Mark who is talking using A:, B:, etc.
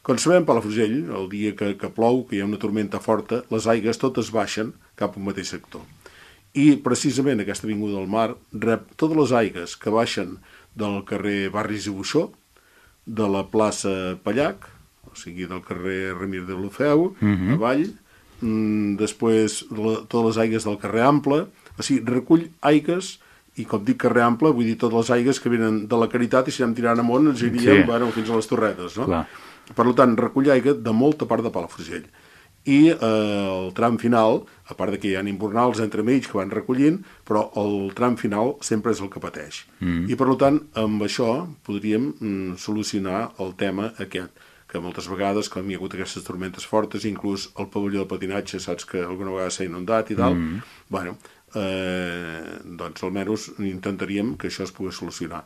A: Com sabem, Palafrugell, el dia que plou, que hi ha una tormenta forta, les aigues totes baixen cap a un mateix sector. I precisament aquesta avinguda del Mar rep totes les aigues que baixen del carrer Barris i Buixó, de la plaça Pallac, o sigui, del carrer Remir de Lofeu, avall, després totes les aigues del carrer Ample, o sigui, recull aigues, i com dic carrer Ample, vull dir totes les aigues que venen de la Caritat, i si anem tirant amunt ens iríem fins a les Torretes, no?
B: Clar.
A: Per tant, recull aigua de molta part de Palafrugell. I el tram final, a part que hi ha imbornals entremig que van recollint, però el tram final sempre és el que pateix. I per tant, amb això podríem solucionar el tema aquest, que moltes vegades, quan hi ha hagut aquestes tormentes fortes, inclús el pavelló de patinatge, saps que alguna vegada s'ha inundat i tal, bueno, doncs almenys intentaríem que això es pogués solucionar.